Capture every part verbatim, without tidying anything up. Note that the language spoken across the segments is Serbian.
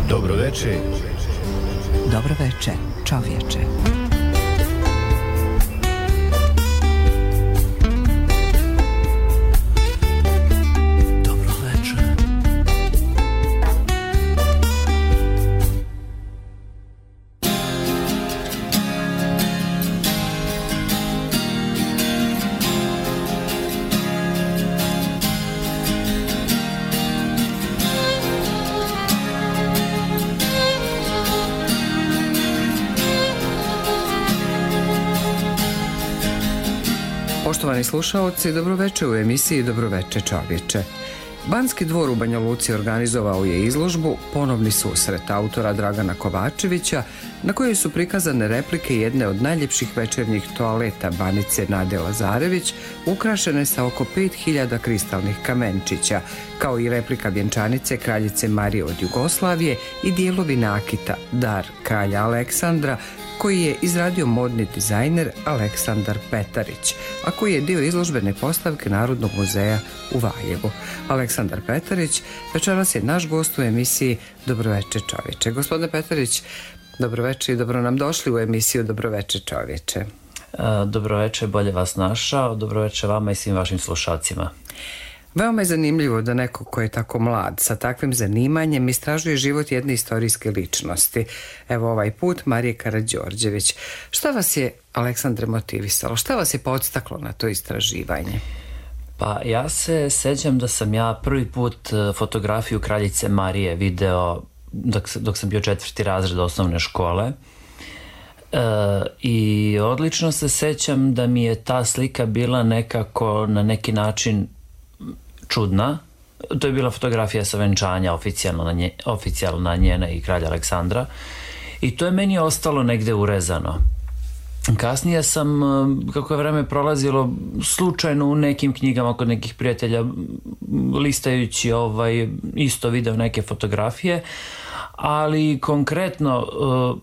Dobro veče. Dobro veče, čovječe. Poštovani slušaoci, dobroveče u emisiji Dobroveče čovječe. Banski dvor u Banja Luci organizovao je izložbu Ponovni susret autora Dragana Kovačevića, na kojoj su prikazane replike jedne od najljepših večernjih toaleta Banice Nade Lazarević, ukrašene sa oko pet hiljada kristalnih kamenčića, kao i replika vjenčanice kraljice Marije od Jugoslavije i dijelovi nakita Dar kralja Aleksandra, koji je izradio modni dizajner Aleksandar Petarić, a koji je dio izložbene postavke Narodnog muzeja u Valjevu. Aleksandar Petarić večeras je naš gost u emisiji Dobroveče čovječe. Gospodine Petarić, dobroveče i dobro nam došli u emisiju Dobroveče čovječe. Dobroveče, bolje vas našao. Dobroveče vama i svim vašim slušalcima. Veoma je zanimljivo da neko ko je tako mlad, sa takvim zanimanjem, istražuje život jedne istorijske ličnosti. Evo ovaj put Marije Karađorđević. Šta vas je, Aleksandre, motivisalo? Šta vas je podstaklo na to istraživanje? Pa ja se sećam da sam ja prvi put fotografiju kraljice Marije video dok, dok sam bio četvrti razred osnovne škole. E, I odlično se sećam da mi je ta slika bila nekako na neki način čudna. To je bila fotografija sa venčanja oficijalna, nje, oficijalna njena i kralja Aleksandra i to je meni ostalo negde urezano. Kasnije sam, kako je vreme prolazilo, slučajno u nekim knjigama kod nekih prijatelja listajući ovaj, isto video neke fotografije, ali konkretno,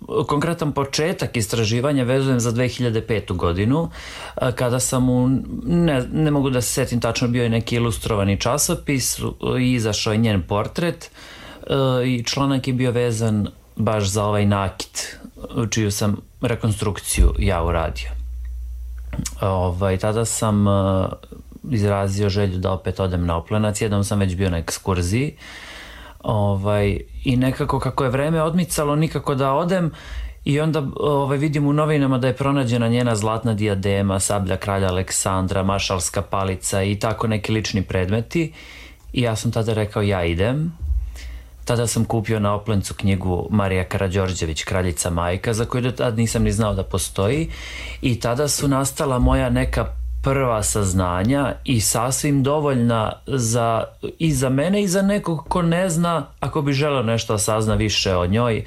uh, konkretan početak istraživanja vezujem za dve hiljade petu godinu, uh, kada sam u, ne, ne mogu da se setim tačno, bio je neki ilustrovani časopis i izašao je njen portret uh, i članak je bio vezan baš za ovaj nakit, čiju sam rekonstrukciju ja uradio. Ovaj, tada sam uh, izrazio želju da opet odem na Oplenac, jednom sam već bio na ekskurziji, Ovaj, i nekako kako je vreme odmicalo nikako da odem i onda ovaj, vidim u novinama da je pronađena njena zlatna dijadema, sablja kralja Aleksandra, mašalska palica i tako neki lični predmeti i ja sam tada rekao ja idem. Tada sam kupio na Oplencu knjigu Marija Karađorđević, Kraljica majka, za koju do tada nisam ni znao da postoji i tada su nastala moja neka prva saznanja i sasvim dovoljna za, i za mene i za nekog ko ne zna, ako bi želeo nešto sazna više o njoj,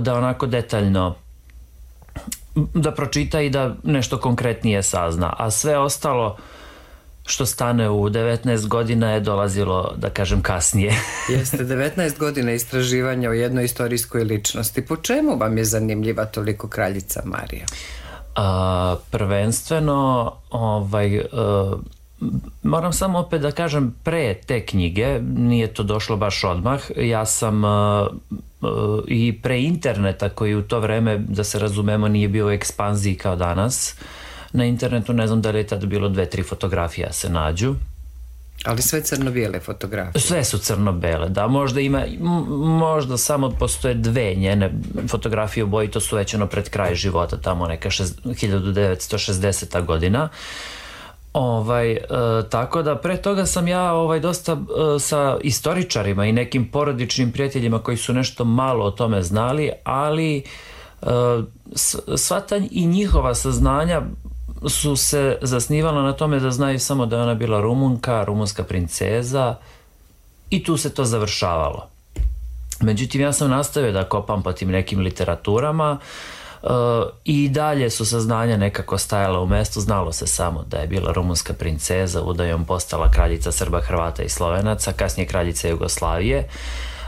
da onako detaljno da pročita i da nešto konkretnije sazna, a sve ostalo što stane u devetnaest godina je dolazilo, da kažem, kasnije. Jeste, devetnaest godina istraživanja o jednoj istorijskoj ličnosti. Po čemu vam je zanimljiva toliko kraljica Marija? A, prvenstveno ovaj, a, moram samo opet da kažem, pre te knjige, nije to došlo baš odmah, ja sam a, a, i pre interneta koji u to vreme, da se razumemo, nije bio u ekspanziji kao danas, na internetu ne znam da li je tada bilo dve, tri fotografije se nađu. Ali sve crno-bijele fotografije? Sve su crno-bele, da, možda ima, možda samo postoje dve njene fotografije u boji, to su već ono pred kraj života, tamo neka hiljadu devetsto šezdeseta godina. Ovaj, e, tako da pre toga sam ja ovaj, dosta e, sa istoričarima i nekim porodičnim prijateljima koji su nešto malo o tome znali, ali e, sva ta i njihova saznanja su se zasnivala na tome da znaju samo da je ona bila Rumunka, rumunska princeza i tu se to završavalo. Međutim, ja sam nastavio da kopam po tim nekim literaturama uh, i dalje su saznanja nekako stajala u mestu, znalo se samo da je bila rumunska princeza, udajom postala kraljica Srba, Hrvata i Slovenaca, kasnije kraljica Jugoslavije,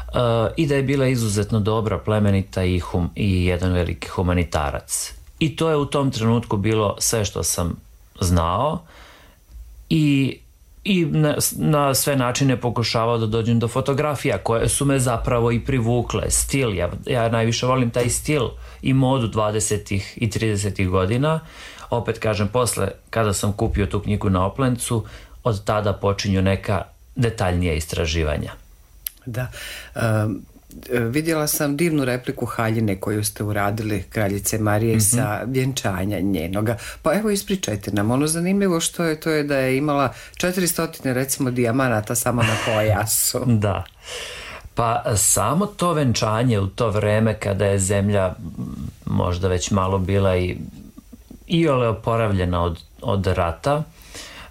uh, i da je bila izuzetno dobra, plemenita i, hum, i jedan veliki humanitarac. I to je u tom trenutku bilo sve što sam znao i i na, na sve načine pokušavao da dođem do fotografija koje su me zapravo i privukle. Stil, ja, ja najviše volim taj stil i modu dvadesetih i tridesetih godina. Opet kažem, posle kada sam kupio tu knjigu na Oplencu, od tada počinju neka detaljnija istraživanja. Da. Um, vidjela sam divnu repliku haljine koju ste uradili kraljice Marije, mm-hmm, sa vjenčanja njenoga. Pa evo ispričajte nam, ono zanimljivo što je to je da je imala četiristo recimo dijamanata samo na pojasu. Da. Pa samo to venčanje u to vreme kada je zemlja možda već malo bila i iole oporavljena od, od rata,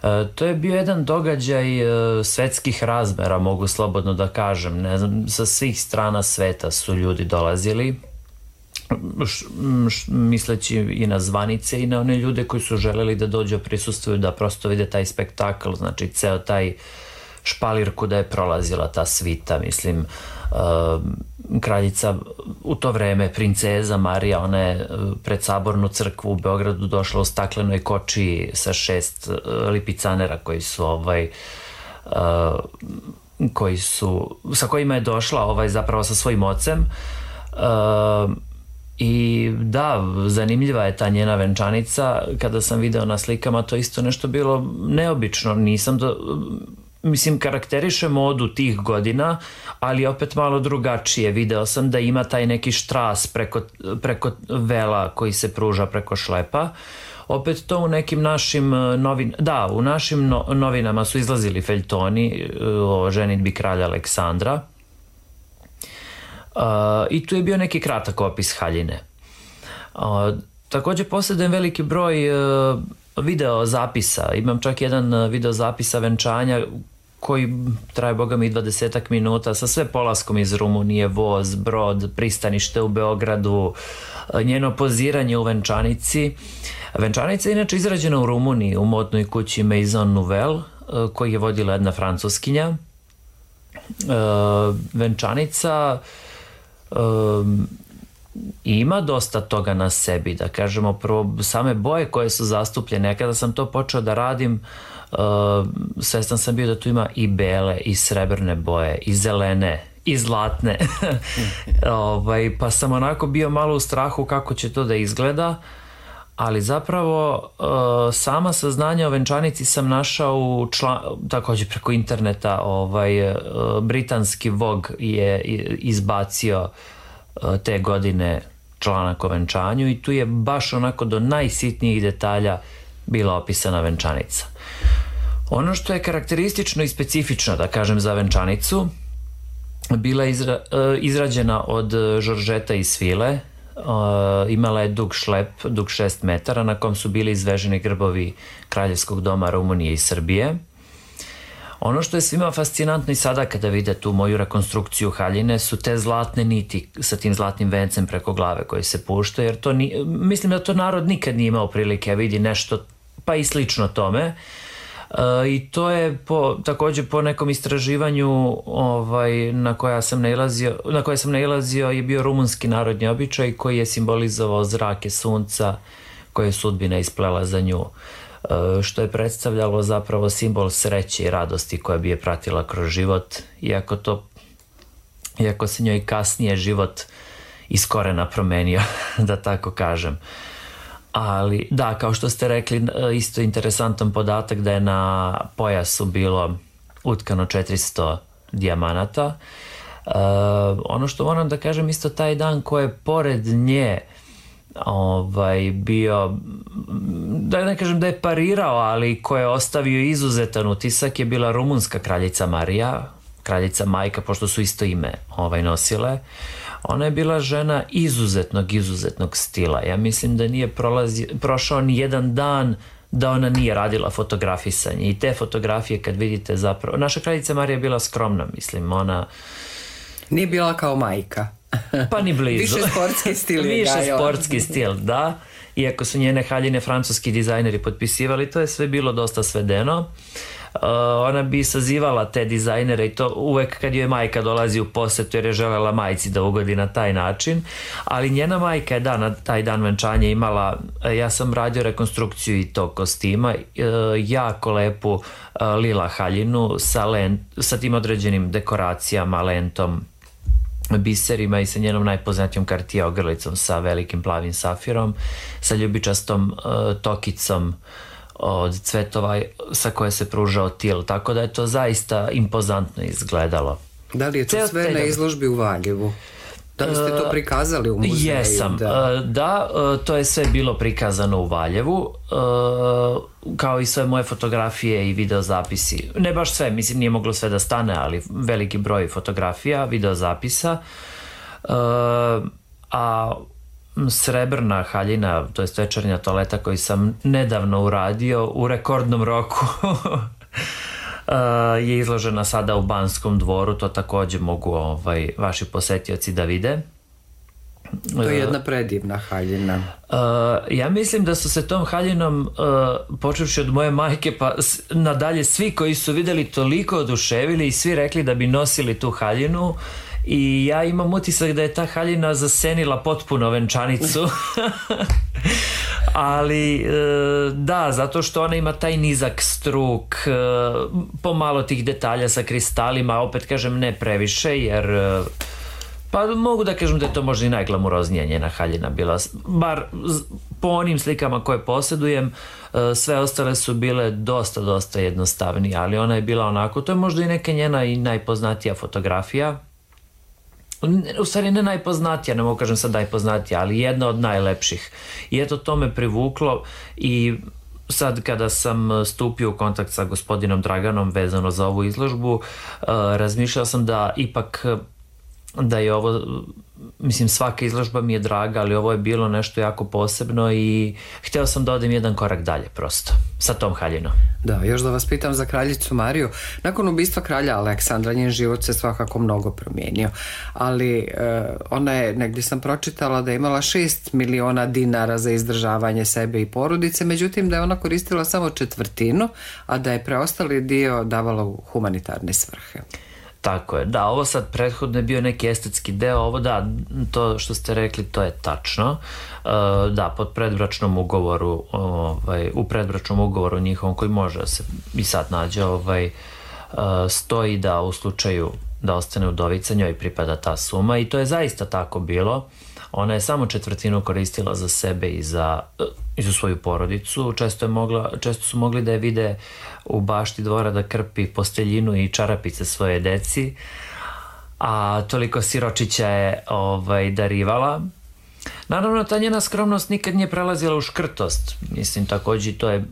e, to je bio jedan događaj e, svetskih razmera, mogu slobodno da kažem. Ne znam, sa svih strana sveta su ljudi dolazili, š, š, misleći i na zvanice i na one ljude koji su želeli da dođu prisustvuju, da prosto vide taj spektakl, znači ceo taj špalirku da je prolazila ta svita, mislim, uh, kraljica u to vreme, princeza Marija, ona je pred Sabornu crkvu u Beogradu došla u staklenoj kočiji sa šest uh, lipicanera koji su ovaj uh, koji su, sa kojima je došla ovaj zapravo sa svojim ocem. Uh, I da, zanimljiva je ta njena venčanica. Kada sam video na slikama, to isto nešto bilo neobično. Nisam do, mislim, karakteriše modu tih godina, ali opet malo drugačije. Video sam da ima taj neki štras preko, preko vela koji se pruža preko šlepa. Opet to u nekim našim novin, da, u našim no, novinama su izlazili feljtoni o ženidbi kralja Aleksandra. Uh, i tu je bio neki kratak opis haljine. Uh, također posjedujem veliki broj uh, video zapisa. Imam čak jedan video zapisa venčanja koji traje, boga mi, dvadesetak minuta sa sve polaskom iz Rumunije, voz, brod, pristanište u Beogradu, njeno poziranje u venčanici. Venčanica je inače izrađena u Rumuniji u modnoj kući Maison Nouvelle, koji je vodila jedna Francuskinja. Uh, venčanica Um, ima dosta toga na sebi, da kažemo, prvo same boje koje su zastupljene. Ja kada sam to počeo da radim, uh, svestan sam bio da tu ima i bele i srebrne boje i zelene i zlatne. ovaj, pa sam onako bio malo u strahu kako će to da izgleda, ali zapravo uh, sama saznanja o venčanici sam našao u član, također preko interneta. Ovaj, uh, britanski Vogue je izbacio uh, te godine članak o venčanju i tu je baš onako do najsitnijih detalja bila opisana venčanica. Ono što je karakteristično i specifično, da kažem, za venčanicu, bila je izra, uh, izrađena od žoržeta iz svile. Uh, imala je dug šlep, dug šest metara, na kom su bili izveženi grbovi Kraljevskog doma Rumunije i Srbije. Ono što je svima fascinantno i sada kada vide tu moju rekonstrukciju haljine su te zlatne niti sa tim zlatnim vencem preko glave koji se pušta, jer to ni, mislim da to narod nikad nije imao prilike vidi nešto pa i slično tome. Uh, i to je po, također po nekom istraživanju ovaj, na koja sam nailazio, na koje sam nailazio je bio rumunski narodni običaj koji je simbolizovao zrake sunca koje je sudbina isplela za nju, uh, što je predstavljalo zapravo simbol sreće i radosti koja bi je pratila kroz život, iako to iako se njoj kasnije život iz korena promenio, da tako kažem. Ali da, kao što ste rekli, isto interesantan podatak da je na pojasu bilo utkano četiristo dijamanata. Uh, ono što moram da kažem, isto taj dan ko je pored nje ovaj, bio, da ne kažem da je parirao, ali ko je ostavio izuzetan utisak je bila rumunska kraljica Marija, kraljica majka, pošto su isto ime ovaj, nosile. Ona je bila žena izuzetnog, izuzetnog stila. Ja mislim da nije prolazi, prošao ni jedan dan da ona nije radila fotografisanje. I te fotografije kad vidite zapravo... Naša kraljica Marija je bila skromna, mislim, ona... Nije bila kao majka. Pa ni blizu. Više sportski stil je. Više sportski stil, da. Iako su njene haljine francuski dizajneri potpisivali, to je sve bilo dosta svedeno. ona bi sazivala te dizajnere i to uvek kad joj majka dolazi u posetu jer je želela majci da ugodi na taj način, ali njena majka je da na taj dan venčanja imala, ja sam radio rekonstrukciju i tog kostima, jako lepu lila haljinu sa, lent, sa tim određenim dekoracijama, lentom, biserima i sa njenom najpoznatijom Cartier ogrlicom sa velikim plavim safirom, sa ljubičastom uh, tokicom od cvetova sa koje se pružao til, tako da je to zaista impozantno izgledalo. Da li je to Ceo sve na izložbi u Valjevu? Da li ste to prikazali u muzeju? Jesam, da, da to je sve bilo prikazano u Valjevu, kao i sve moje fotografije i videozapisi. Ne baš sve, mislim nije moglo sve da stane, ali veliki broj fotografija, videozapisa. A srebrna haljina, to je večernja toaleta koju sam nedavno uradio u rekordnom roku, je izložena sada u Banskom dvoru, to takođe mogu ovaj, vaši posetioci da vide. To je jedna predivna haljina. Uh, ja mislim da su se tom haljinom, uh, počevši od moje majke pa nadalje, svi koji su videli toliko oduševili i svi rekli da bi nosili tu haljinu i ja imam utisak da je ta haljina zasenila potpuno venčanicu. Ali da, zato što ona ima taj nizak struk, pomalo tih detalja sa kristalima, opet kažem ne previše, jer pa mogu da kažem da je to možda i najglamuroznija njena haljina bila, bar po onim slikama koje posjedujem, sve ostale su bile dosta, dosta jednostavnije, ali ona je bila onako, to je možda i neka njena i najpoznatija fotografija. U stvari ne najpoznatija, ne mogu kažem sad najpoznatija, ali jedna od najlepših. I eto to me privuklo i sad kada sam stupio u kontakt sa gospodinom Draganom vezano za ovu izložbu, razmišljao sam da ipak da je ovo, mislim svaka izložba mi je draga, ali ovo je bilo nešto jako posebno i hteo sam da odem jedan korak dalje prosto sa tom haljinom. Da, još da vas pitam za kraljicu Mariju. Nakon ubistva kralja Aleksandra njen život se svakako mnogo promijenio, ali e, ona je, negdje sam pročitala da je imala šest miliona dinara za izdržavanje sebe i porodice, međutim da je ona koristila samo četvrtinu, a da je preostali dio davala u humanitarne svrhe. Tako je, da, ovo sad prethodno je bio neki estetski deo, ovo da, to što ste rekli, to je tačno. Uh, da, pod predbračnom ugovoru, ovaj, u predbračnom ugovoru njihovom koji može da se i sad nađe, ovaj, uh, stoji da u slučaju da ostane udovica njoj pripada ta suma i to je zaista tako bilo. Ona je samo četvrtinu koristila za sebe i za, i za svoju porodicu. Često, je mogla, često su mogli da je vide u bašti dvora da krpi posteljinu i čarapice svoje deci, a toliko siročića je ovaj, darivala. Naravno, ta njena skromnost nikad nije prelazila u škrtost. Mislim, takođe to je,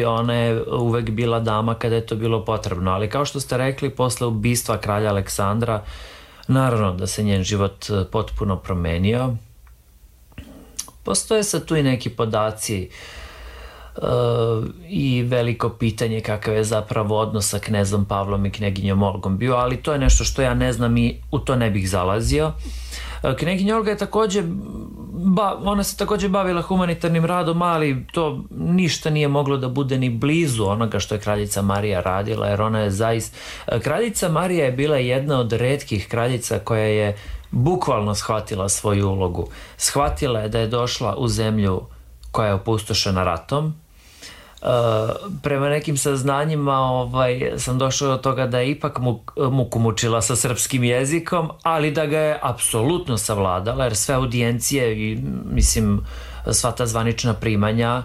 ona je uvek bila dama kada je to bilo potrebno, ali kao što ste rekli, posle ubistva kralja Aleksandra, naravno da se njen život potpuno promenio. Postoje sad tu i neki podaci uh, i veliko pitanje kakav je zapravo odnos sa knezom Pavlom i kneginjom Olgom bio, ali to je nešto što ja ne znam i u to ne bih zalazio. Kneginja Olga je takođe, ba, ona se takođe bavila humanitarnim radom, ali to ništa nije moglo da bude ni blizu onoga što je kraljica Marija radila, jer ona je zaista, kraljica Marija je bila jedna od retkih kraljica koja je bukvalno shvatila svoju ulogu. Shvatila je da je došla u zemlju koja je opustošena ratom. Uh, prema nekim saznanjima ovaj, sam došao do toga da je ipak muk, muku mučila sa srpskim jezikom, ali da ga je apsolutno savladala, jer sve audijencije i mislim sva ta zvanična primanja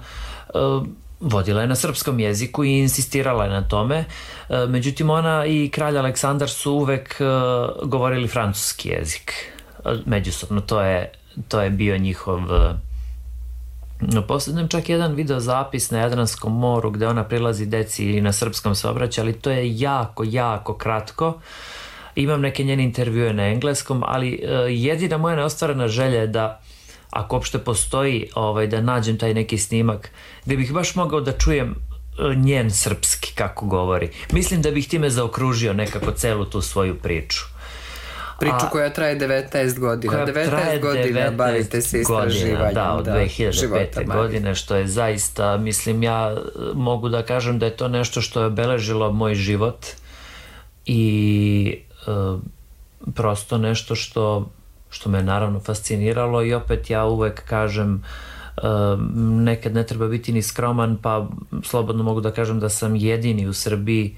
uh, vodila je na srpskom jeziku i insistirala je na tome. Uh, međutim, ona i kralj Aleksandar su uvek uh, govorili francuski jezik uh, međusobno, to je, to je bio njihov uh, poslednjem čak jedan video zapis na Jadranskom moru gde ona prilazi deci i na srpskom se obraća, ali to je jako, jako kratko. Imam neke njene intervjue na engleskom, ali uh, jedina moja neostvarena želja je da, ako uopšte postoji, ovaj, da nađem taj neki snimak gde bih baš mogao da čujem uh, njen srpski kako govori. Mislim da bih time zaokružio nekako celu tu svoju priču. Priču a, koja traje devetnaest godina. Koja devetnaest godina bavite se istraživanjem. Da, od dve hiljade pete. godine, što je zaista, mislim, ja mogu da kažem da je to nešto što je obeležilo moj život i e, prosto nešto što, što me naravno fasciniralo i opet ja uvek kažem e, nekad ne treba biti ni skroman, pa slobodno mogu da kažem da sam jedini u Srbiji.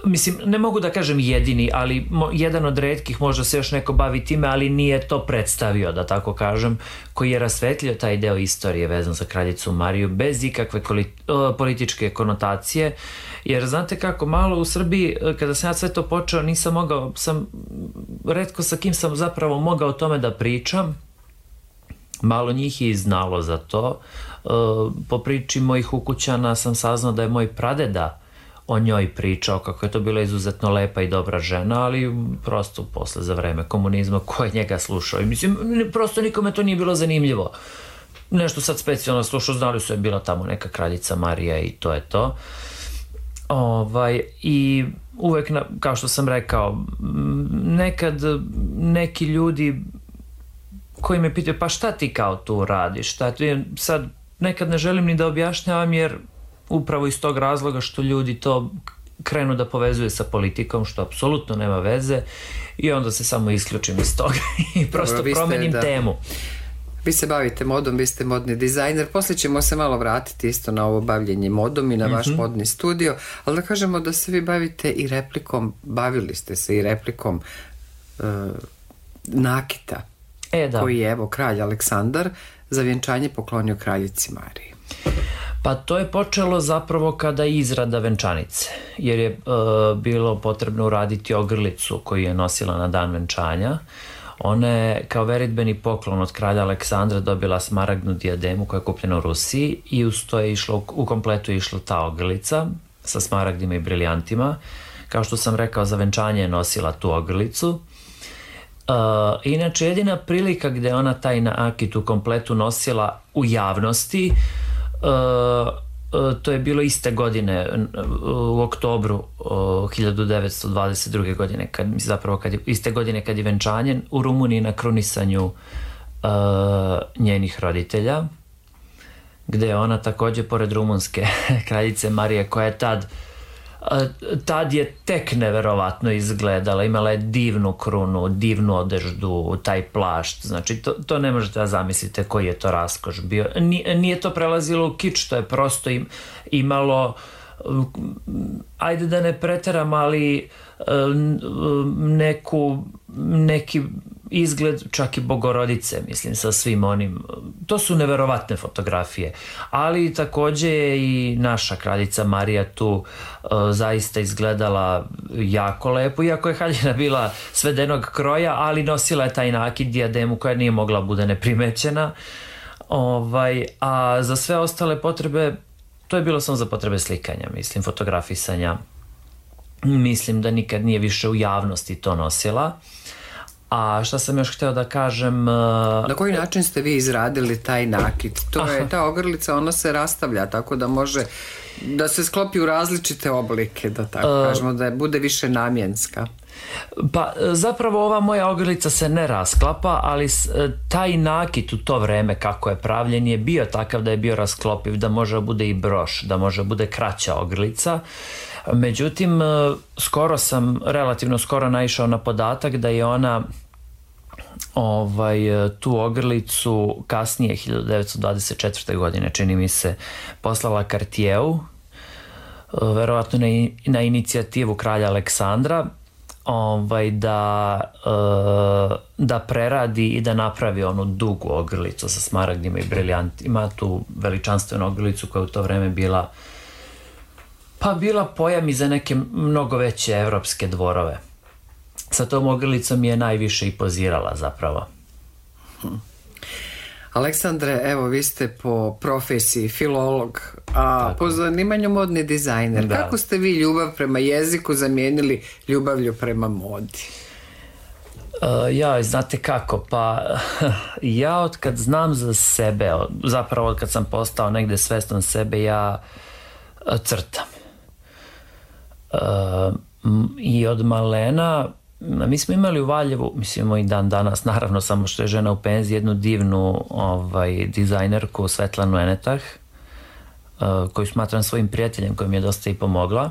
Mislim, ne mogu da kažem jedini, ali mo, jedan od retkih, možda se još neko bavi time, ali nije to predstavio, da tako kažem, koji je rasvetlio taj deo istorije vezan za kraljicu Mariju bez ikakve koli, o, političke konotacije, jer znate kako, malo u Srbiji, kada sam ja sve to počeo, nisam mogao, sam, retko sa kim sam zapravo mogao o tome da pričam, malo njih je i znalo za to. E, po priči mojih ukućana sam saznao da je moj pradeda o njoj pričao, kako je to bila izuzetno lepa i dobra žena, ali prosto posle za vreme komunizma ko je njega slušao. I mislim, prosto nikome to nije bilo zanimljivo. Nešto sad specijalno slušao, znali su je bila tamo neka kraljica Marija i to je to. Ovaj, i uvek, na, kao što sam rekao, nekad neki ljudi koji me pitaju, pa šta ti kao tu radiš? Šta ti, sad nekad ne želim ni da objašnjavam, jer upravo iz tog razloga što ljudi to krenu da povezuje sa politikom, što apsolutno nema veze, i onda se samo isključim iz toga i prosto Dobro, promenim ste, da. temu. Vi se bavite modom, vi ste modni dizajner, poslije ćemo se malo vratiti isto na ovo bavljenje modom i na vaš mm-hmm. modni studio, ali da kažemo da se vi bavite i replikom, bavili ste se i replikom uh, nakita, e, da. koji je evo kralj Aleksandar za vjenčanje poklonio kraljici Mariji. Pa to je počelo zapravo kada je izrada venčanice, jer je e, bilo potrebno uraditi ogrlicu koju je nosila na dan venčanja. Ona je kao veritbeni poklon od kralja Aleksandra dobila smaragdnu dijademu koja je kupljena u Rusiji i uz to je išlo, u kompletu je išla ta ogrlica sa smaragdima i briljantima. Kao što sam rekao, za venčanje je nosila tu ogrlicu. E, inače, jedina prilika gde ona taj nakit u kompletu nosila u javnosti, Uh, uh, to je bilo iste godine, uh, u oktobru uh, hiljadu devetsto dvadeset druge. godine, kad, zapravo kad je, iste godine kad je venčanje u Rumuniji na krunisanju uh, njenih roditelja, gde je ona takođe pored rumunske kraljice Marije, koja je tad tad je tek neverovatno izgledala, imala je divnu krunu, divnu odeždu, taj plašt, znači to, to ne možete da zamislite koji je to raskoš bio. Nije, nije to prelazilo u kič, to je prosto im, imalo, ajde da ne preteram, ali neku, neki izgled čak i Bogorodice, mislim, sa svim onim, to su neverovatne fotografije, ali takođe je i naša kraljica Marija tu uh, zaista izgledala jako lepo, iako je haljina bila svedenog kroja, ali nosila je taj nakit, dijademu koja nije mogla bude neprimećena, ovaj, a za sve ostale potrebe, to je bilo samo za potrebe slikanja, mislim, fotografisanja. Mislim da nikad nije više u javnosti to nosila. A šta sam još hteo da kažem... Na koji način ste vi izradili taj nakit? To je, ta ogrlica, ona se rastavlja, tako da može da se sklopi u različite oblike, da tako uh, kažemo, da bude više namjenska. Pa zapravo ova moja ogrlica se ne rasklapa, ali taj nakit u to vreme kako je pravljen je bio takav da je bio rasklopiv, da može bude i broš, da može bude kraća ogrlica. Međutim, skoro sam, relativno skoro naišao na podatak da je ona ovaj, tu ogrlicu kasnije, hiljadu devetsto dvadeset četvrte. godine, čini mi se, poslala Cartieru, verovatno na, na inicijativu kralja Aleksandra, ovaj, da, da preradi i da napravi onu dugu ogrlicu sa smaragdima i briljantima, tu veličanstvenu ogrlicu koja u to vreme bila pa bila pojam i za neke mnogo veće evropske dvorove. Sa tom ogrlicom je najviše i pozirala zapravo. Hmm. Aleksandre, evo vi ste po profesiji filolog, a tako, po zanimanju modni dizajner. Da. Kako ste vi ljubav prema jeziku zamijenili ljubavlju prema modi? Uh, ja, znate kako, pa ja od kad znam za sebe, zapravo od kad sam postao negde svestan sebe, ja crtam. Uh, I od malena mi smo imali u Valjevu, mislimo i dan danas, naravno samo što je žena u penziji, jednu divnu ovaj, dizajnerku Svetlanu Enetah, uh, koju smatram svojim prijateljem, koja mi je dosta i pomogla.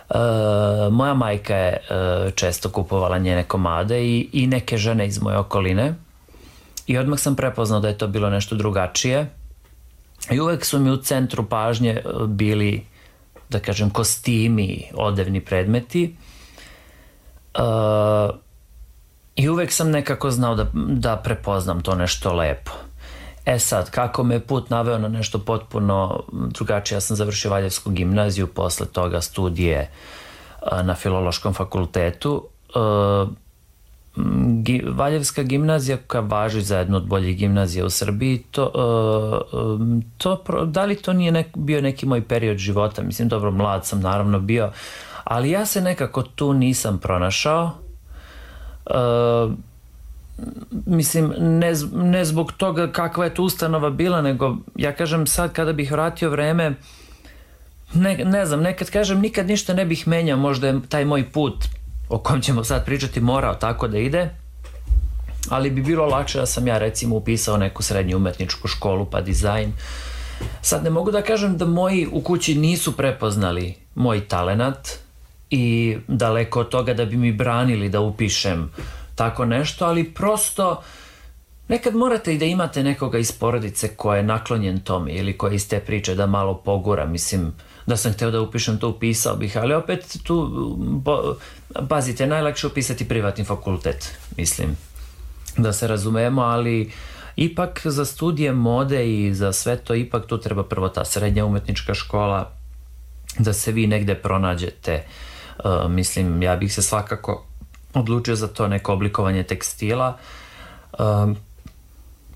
Uh, moja majka je uh, često kupovala njene komade i, i neke žene iz moje okoline i odmah sam prepoznao da je to bilo nešto drugačije i uvek su mi u centru pažnje bili, da kažem, kostimi, odevni predmeti. Uh, i uvek sam nekako znao da, da prepoznam to nešto lepo. E sad, kako me put naveo na nešto potpuno drugačije, ja sam završio Valjevsku gimnaziju, posle toga studije uh, na Filološkom fakultetu. Uh, gi, Valjevska gimnazija, koja važi za jednu od boljih gimnazija u Srbiji, to, uh, to, da li to nije nek, bio neki moj period života? Mislim, dobro, mlad sam naravno bio, ali ja se nekako tu nisam pronašao. Uh, mislim, ne, ne zbog toga kakva je tu ustanova bila, nego ja kažem sad kada bih vratio vreme, ne, ne znam, nekad kažem nikad ništa ne bih menjao, možda je taj moj put o kom ćemo sad pričati morao tako da ide, ali bi bilo lakše da sam ja recimo upisao neku srednju umetničku školu pa dizajn. Sad ne mogu da kažem da moji u kući nisu prepoznali moj talenat i daleko od toga da bi mi branili da upišem tako nešto, ali prosto nekad morate i da imate nekoga iz porodice ko je naklonjen tome ili ko je iz te priče da malo pogura. Mislim, da sam hteo da upišem to, upisao bih, ali opet tu, bo, pazite, najlakše upisati privatni fakultet, mislim, da se razumemo, ali ipak za studije mode i za sve to, ipak tu treba prvo ta srednja umetnička škola, da se vi negde pronađete. Uh, mislim, ja bih se svakako odlučio za to neko oblikovanje tekstila, um,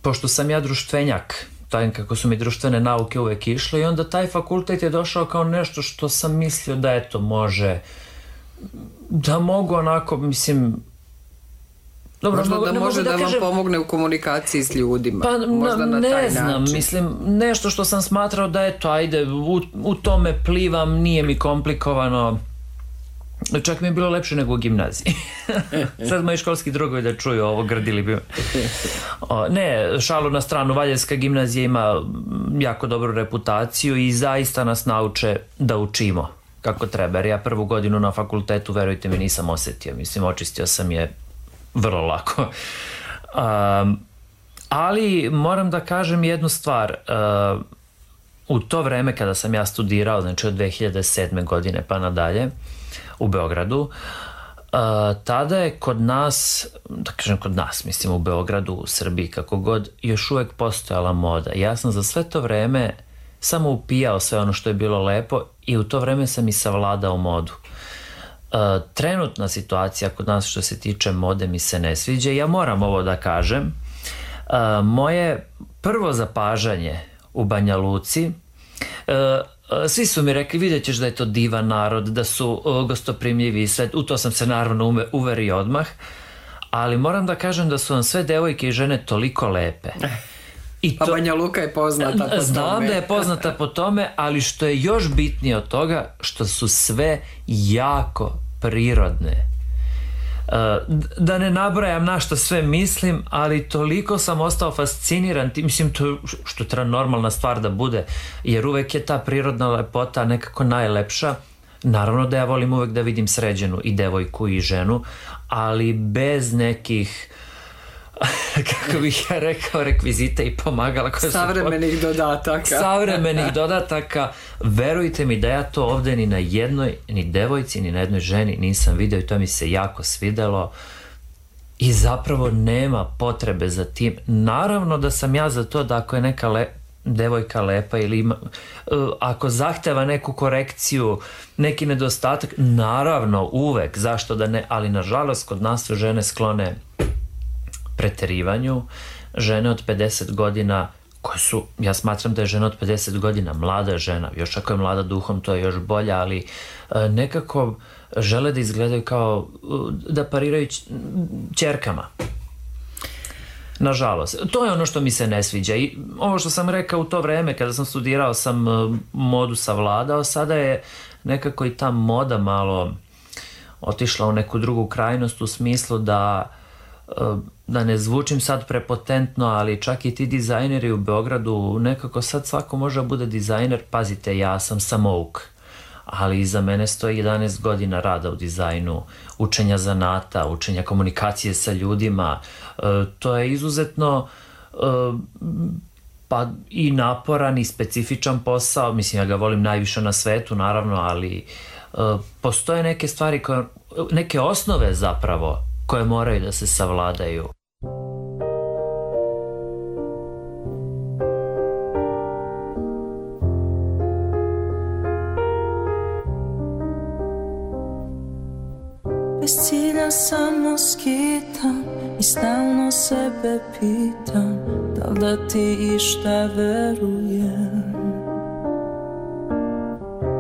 pošto sam ja društvenjak, taj, kako su mi društvene nauke uvek išle, i onda taj fakultet je došao kao nešto što sam mislio da eto može, da mogu onako, mislim, dobro, možda mogu, da ne može da, da vam kažem, pomogne u komunikaciji s ljudima, pa možda na ne taj znam, način. mislim, nešto što sam smatrao da eto, ajde, u, u tome plivam, nije mi komplikovano. Čak mi je bilo lepše nego u gimnaziji. Sad moji školski drugovi da čuju ovo, grdili bi. O, ne, šalu na stranu, Valjevska gimnazija ima jako dobru reputaciju i zaista nas nauče da učimo kako treba. Jer ja prvu godinu na fakultetu, verujte mi, nisam osetio. Mislim, očistio sam je vrlo lako. Um, ali moram da kažem jednu stvar. Uh, u to vreme kada sam ja studirao, znači od dve hiljade sedme godine pa nadalje, u Beogradu, uh, tada je kod nas, da kažem kod nas, mislim u Beogradu, u Srbiji, kako god, još uvek postojala moda. Ja sam za sve to vreme samo upijao sve ono što je bilo lepo i u to vreme sam i savladao modu. Uh, trenutna situacija kod nas što se tiče mode mi se ne sviđa. Ja moram ovo da kažem. Uh, moje prvo zapažanje u Banja Luci, uh, svi su mi rekli, vidjet ćeš da je to divan narod, da su gostoprimljivi i sve, u to sam se naravno uverio odmah, ali moram da kažem da su vam sve devojke i žene toliko lepe. I pa to, Banja Luka je poznata po tome. Znam da je poznata po tome, ali što je još bitnije od toga, što su sve jako prirodne. Da ne nabrajam na što sve mislim, ali toliko sam ostao fasciniran, mislim, to što treba normalna stvar da bude, jer uvek je ta prirodna lepota nekako najlepša. Naravno da ja volim uvek da vidim sređenu i devojku i ženu, ali bez nekih, kako bih ja rekao, rekvizita i pomagala koje savremenih su... dodataka. Savremenih dodataka. Verujte mi da ja to ovde ni na jednoj, ni devojci, ni na jednoj ženi nisam video i to mi se jako svidelo. I zapravo nema potrebe za tim. Naravno da sam ja za to da ako je neka le... devojka lepa ili ima, uh, ako zahteva neku korekciju, neki nedostatak, naravno uvek, zašto da ne, ali nažalost kod nas su žene sklone preterivanju. Žene od pedeset godina koje su, ja smatram da je žena od pedeset godina mlada žena, još ako je mlada duhom to je još bolja, ali e, nekako žele da izgledaju kao da pariraju ćerkama. Nažalost, to je ono što mi se ne sviđa i ovo što sam rekao u to vreme kada sam studirao sam modu savladao, sada je nekako i ta moda malo otišla u neku drugu krajnost u smislu da, da ne zvučim sad prepotentno, ali čak i ti dizajneri u Beogradu, nekako sad svako može da bude dizajner. Pazite, ja sam samouk, ali iza mene stoji jedanaest godina rada u dizajnu, učenja zanata, učenja komunikacije sa ljudima. To je izuzetno pa i naporan i specifičan posao. Mislim, ja ga volim najviše na svetu, naravno, ali postoje neke stvari, koje, neke osnove zapravo, koje moraju da se savladaju. Bez cilja samo skitam i stalno sebe pitam da li da ti išta verujem,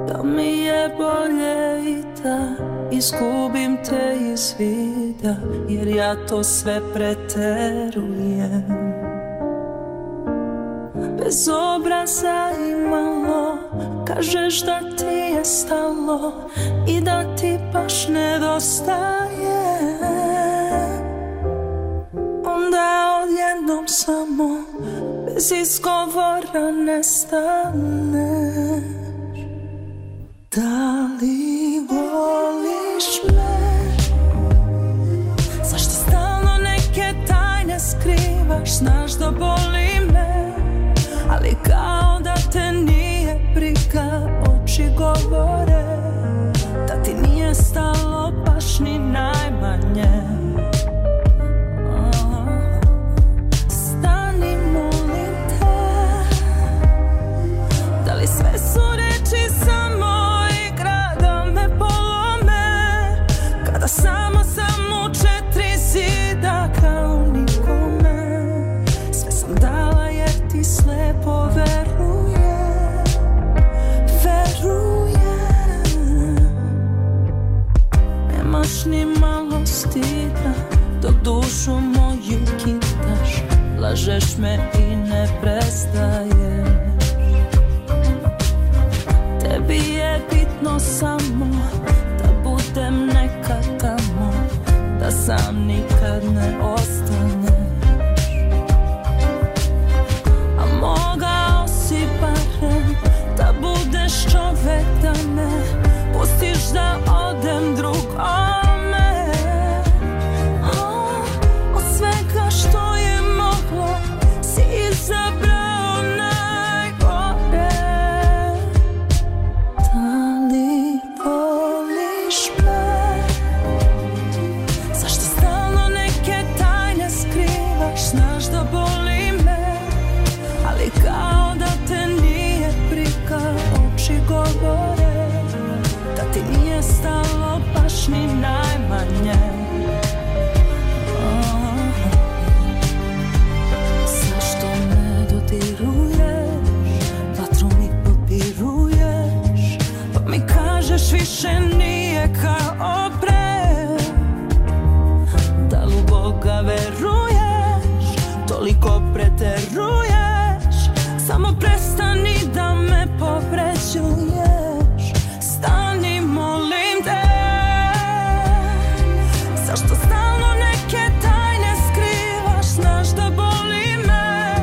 da mi je bolje i da izgubim te iz vida, jer ja to sve preterujem. Bez obraza imalo, kažeš da ti je stalo i da ti baš nedostaje. Onda odjednom samo bez izgovora nestaneš. Da li voliš me? Zašto stalno neke tajne skrivaš? Znaš da boli me, ali kao da te nije briga. Oči govore da ti nije stalo baš ni najmanje. Stani, molim te. Da li sve su reči samo igra da me polome, kada samo sam u četiri zida kao nikome. Sve sam dala jer ti slepo veruje, veruje. Nemaš ni malo stida dok dušu moju kitaš, lažeš me i ne prestaješ. Tebi je bitno samo da budem nekad tamo, da sam nikad ne ostaneš. A mogao si barem da budeš čovek, da me pustiš da odem drugome. Od svega što je moglo si izabrao najgore. Da li voliš me? Zašto stalno neke tajne skrivaš? Znaš da boli me, ali kao da te nije briga. Oči govore da ti nije stalo baš ni najmanje. Zašto me dodiruješ, vatru mi potpiruješ, pa mi kažeš više nije kao pre. Da li u Boga veruješ, toliko preteruješ, samo prestani da me povređuješ. Stani, molim te. Zašto stalno neke tajne skrivaš? Znaš da boli me,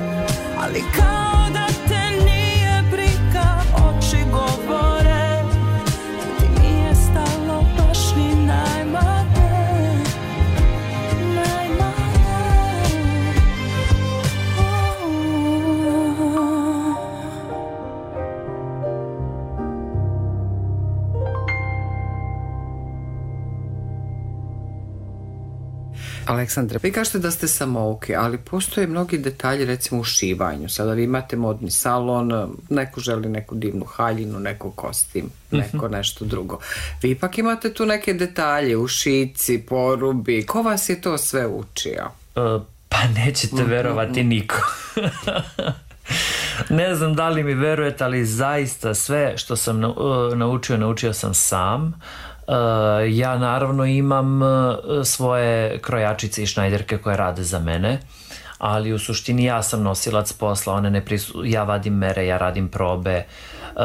ali kao da te nije briga. Oči govore da ti nije stalo baš ni najmanje, najmanje. Aleksandre, vi kažete da ste samouki, ali postoje mnogi detalji, recimo u šivanju. Sada vi imate modni salon, neko želi neku divnu haljinu, neko kostim, neko nešto drugo. Vi ipak imate tu neke detalje u šici, porubi. Ko vas je to sve učio? Uh, pa nećete verovati niko. Ne znam da li mi verujete, ali zaista sve što sam naučio, naučio sam sam. Uh, ja naravno imam uh, svoje krojačice i šnajderke koje rade za mene, ali u suštini ja sam nosilac posla, one ne prisu... ja vadim mere, ja radim probe,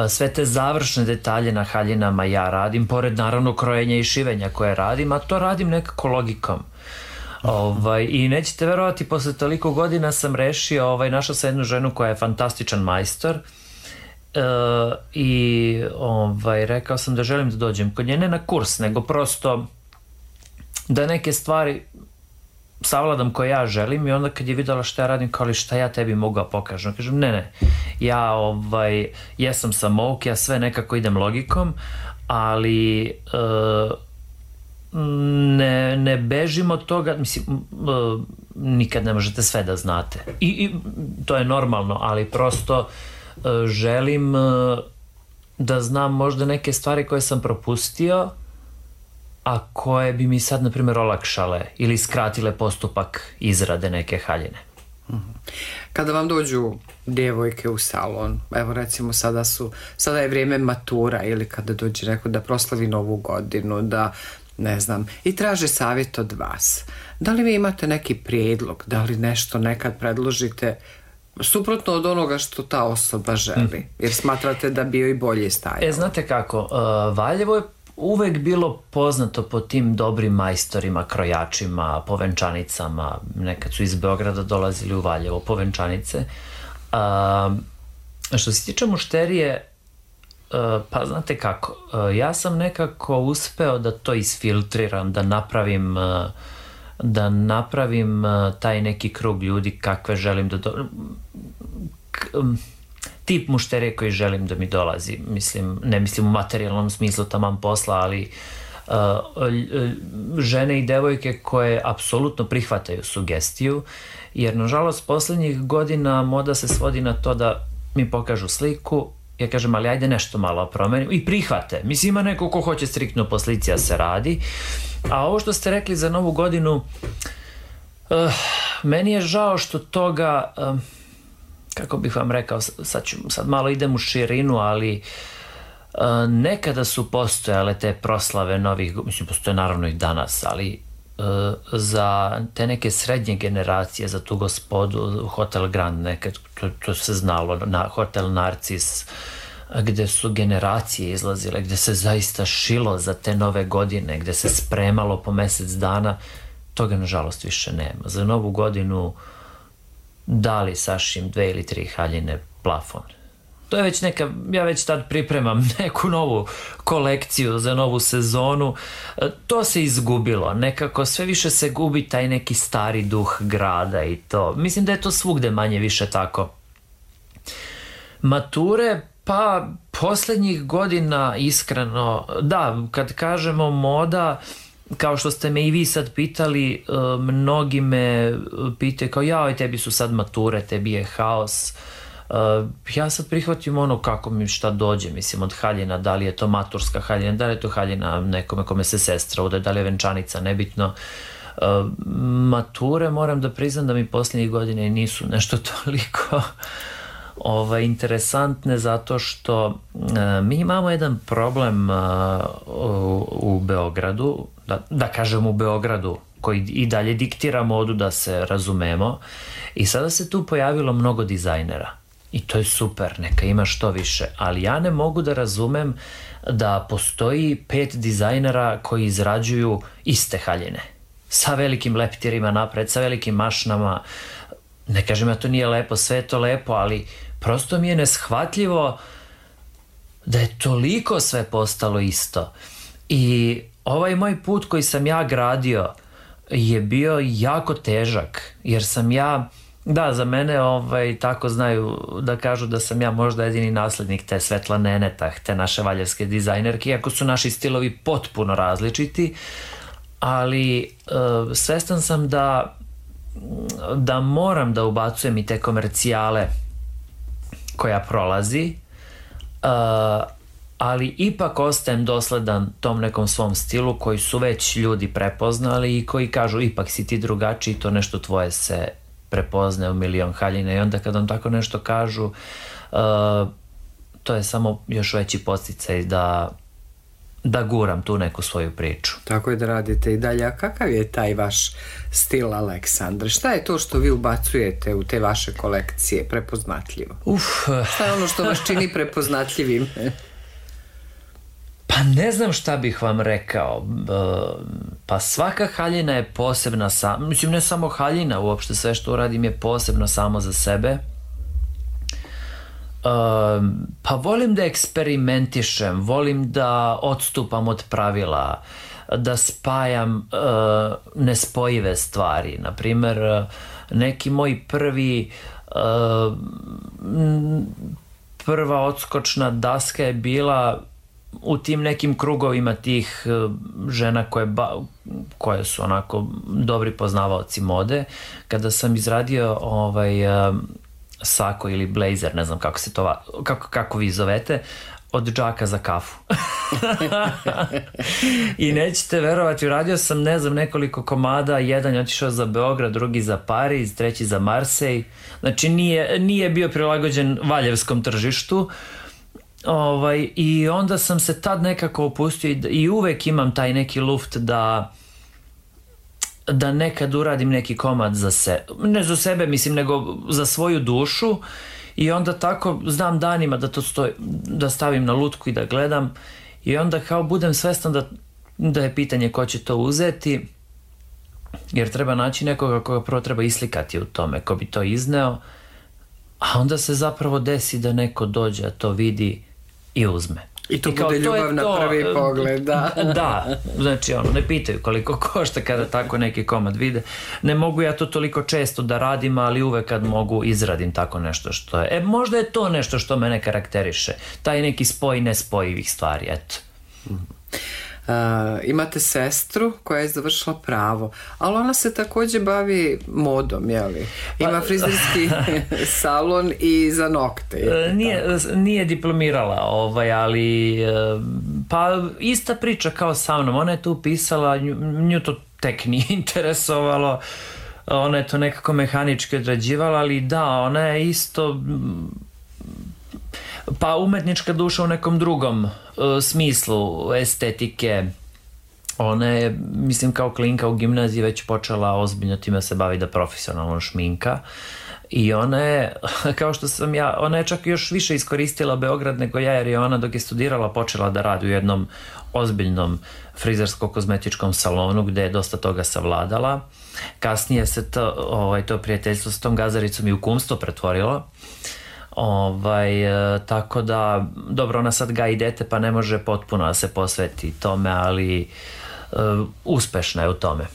sve te završne detalje na haljinama ja radim, pored naravno krojenja i šivenja koje radim, a to radim nekako logikom. Ovaj, i nećete verovati, posle toliko godina sam rešio, ovaj, našao sam jednu ženu koja je fantastičan majstor, e, i ovaj, rekao sam da želim da dođem kod nje, ne na kurs, nego prosto da neke stvari savladam koje ja želim, i onda kad je videla šta ja radim, kao li šta ja tebi mogu da pokažem, kažem ne ne, ja ovaj, jesam samouk, ja sve nekako idem logikom, ali e, ne, ne bežim od toga, mislim, uh, nikad ne možete sve da znate. I, i to je normalno, ali prosto uh, želim uh, da znam možda neke stvari koje sam propustio, a koje bi mi sad, na primjer, olakšale ili skratile postupak izrade neke haljine. Kada vam dođu djevojke u salon, evo recimo sada su, sada je vrijeme matura, ili kada dođe neko da proslavi novu godinu, da ne znam, i traže savjet od vas. Da li vi imate neki prijedlog, da li nešto nekad predložite suprotno od onoga što ta osoba želi, jer smatrate da bi joj bolje stajalo? E, znate kako, uh, Valjevo je uvek bilo poznato po tim dobrim majstorima, krojačima, povenčanicama. Nekad su iz Beograda dolazili u Valjevo povenčanice. Uh, što se tiče mušterije, Uh, pa znate kako, uh, ja sam nekako uspeo da to isfiltriram, da napravim uh, da napravim uh, taj neki krug ljudi kakve želim da do... K, um, tip mušterije koji želim da mi dolazi, mislim, ne mislim u materijalnom smislu taman posla, ali uh, žene i devojke koje apsolutno prihvataju sugestiju, jer nažalost poslednjih godina moda se svodi na to da mi pokažu sliku, ja kažem, ali ajde nešto malo promenim, i prihvate. Mislim, ima neko ko hoće striktno po slici da se radi. A ovo što ste rekli za novu godinu, uh, meni je žao što toga, uh, kako bih vam rekao, sad, ću, sad malo idem u širinu, ali uh, nekada su postojale te proslave novih, mislim, postoje naravno i danas, ali uh, za te neke srednje generacije, za tu gospodu, Hotel Grand nekad, to, to se znalo, na Hotel Narcis, gde su generacije izlazile, gde se zaista šilo za te nove godine, gde se spremalo po mesec dana, toga nažalost više nema. Za novu godinu dali sašim dve ili tri haljine, plafon. To je već neka, ja već tad pripremam neku novu kolekciju za novu sezonu. To se izgubilo, nekako sve više se gubi taj neki stari duh grada i to. Mislim da je to svugde manje više tako. Mature, pa poslednjih godina iskreno, da, kad kažemo moda, kao što ste me i vi sad pitali, mnogi me pitaju kao, jao, tebi su sad mature, tebi je haos. Uh, ja sad prihvatim ono kako mi šta dođe, mislim, od haljina, da li je to maturska haljina, da li je to haljina nekome kome se sestra ude, da li je venčanica, nebitno. Uh, mature, moram da priznam da mi posljednjih godine nisu nešto toliko ovaj, interesantne, zato što uh, mi imamo jedan problem uh, u, u Beogradu, da, da kažem u Beogradu, koji i dalje diktira modu, da se razumemo, i sada se tu pojavilo mnogo dizajnera. I to je super, neka ima što više, ali ja ne mogu da razumem da postoji pet dizajnera koji izrađuju iste haljine, sa velikim leptirima napred, sa velikim mašnama. Ne kažem ja to nije lepo, sve je to lepo, ali prosto mi je neshvatljivo da je toliko sve postalo isto. I ovaj moj put koji sam ja gradio je bio jako težak, jer sam ja, da, za mene ovaj, tako znaju da kažu da sam ja možda jedini naslednik te Svetlane Enetah, te naše valjevske dizajnerke, iako su naši stilovi potpuno različiti, ali uh, svestan sam da da moram da ubacujem i te komercijale koja prolazi, uh, ali ipak ostajem dosledan tom nekom svom stilu koji su već ljudi prepoznali i koji kažu ipak si ti drugačiji, to nešto tvoje se prepoznaje u milion haljina, i onda kad vam tako nešto kažu, uh, to je samo još veći podsticaj da da guram tu neku svoju priču. Tako je da radite i dalje. A kakav je taj vaš stil, Aleksandre? Šta je to što vi ubacujete u te vaše kolekcije prepoznatljivo? Uf. Šta je ono što vas čini prepoznatljivim? Pa ne znam šta bih vam rekao. Pa svaka haljina je posebna, sam, mislim ne samo haljina, uopšte sve što uradim je posebno samo za sebe. Pa volim da eksperimentišem, volim da odstupam od pravila, da spajam nespojive stvari. Naprimer, neki moj prvi prva odskočna daska je bila u tim nekim krugovima tih žena koje, ba, koje su onako dobri poznavaoci mode. Kada sam izradio ovaj sako ili blazer, ne znam kako se to kako, kako vi zovete, od džaka za kafu. I nećete verovati, uradio sam ne znam nekoliko komada, jedan je otišao za Beograd, drugi za Pariz, treći za Marsej. Znači nije, nije bio prilagođen valjevskom tržištu. Ovaj, i onda sam se tad nekako opustio i, i uvek imam taj neki luft da da nekad uradim neki komad za sebe, ne za sebe mislim, nego za svoju dušu, i onda tako znam danima da to stoji, da stavim na lutku i da gledam, i onda kao budem svestan da, da je pitanje ko će to uzeti, jer treba naći nekoga koga prvo treba islikati u tome, ko bi to izneo, a onda se zapravo desi da neko dođe, a to vidi i uzme. I to I bude ljubav na prvi pogled, da. Da, znači ono, ne pitaju koliko košta kada tako neki komad vide. Ne mogu ja to toliko često da radim, ali uvek kad mogu izradim tako nešto što je. E, možda je to nešto što mene karakteriše. Taj neki spoj nespojivih stvari, eto. Uh, imate sestru koja je završila pravo, ali ona se također bavi modom, jeli? Ima frizerski salon i za nokte. Nije, nije diplomirala, ovaj, ali pa ista priča kao sa mnom. Ona je tu pisala, nju, nju to tek nije interesovalo, ona je to nekako mehanički odrađivala, ali da, ona je isto pa umetnička duša u nekom drugom uh, smislu estetike. Ona je, mislim, kao klinka u gimnaziji već počela ozbiljno time se bavi da profesionalno šminka, i ona je, kao što sam ja, ona je čak još više iskoristila Beograd nego ja, jer je ona dok je studirala počela da radi u jednom ozbiljnom frizersko-kozmetičkom salonu gde je dosta toga savladala. Kasnije se to, ovaj, to prijateljstvo s tom gazaricom i u kumstvo pretvorilo. Ovaj, e, tako da, dobro, ona sad gaji dete pa ne može potpuno da se posveti tome, ali e, uspešna je u tome.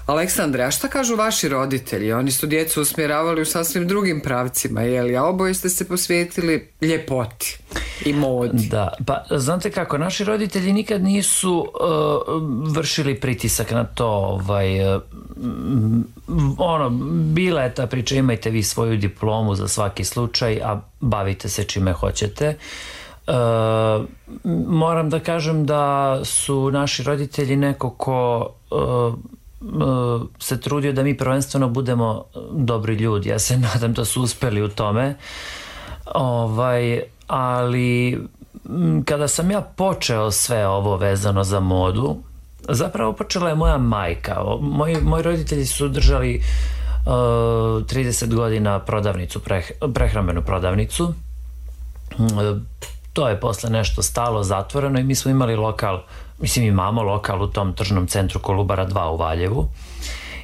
Aleksandre, a šta kažu vaši roditelji? Oni su djecu usmjeravali u sasvim drugim pravcima, jeli? A oboje ste se posvetili ljepoti i modi. Da, pa znate kako, naši roditelji nikad nisu uh, vršili pritisak na to, ovaj, uh, ono, bila je ta priča, imajte vi svoju diplomu za svaki slučaj, a bavite se čime hoćete. Uh, moram da kažem da su naši roditelji neko ko uh, se trudio da mi prvenstveno budemo dobri ljudi. Ja se nadam da su uspeli u tome. Ovaj, ali kada sam ja počeo sve ovo vezano za modu, zapravo počela je moja majka. Moji, moji roditelji su držali uh, trideset godina prodavnicu, preh, prehrambenu prodavnicu. Uh, to je posle nešto stalo, zatvoreno, i mi smo imali lokal, mislim imamo lokal u tom tržnom centru Kolubara dva u Valjevu,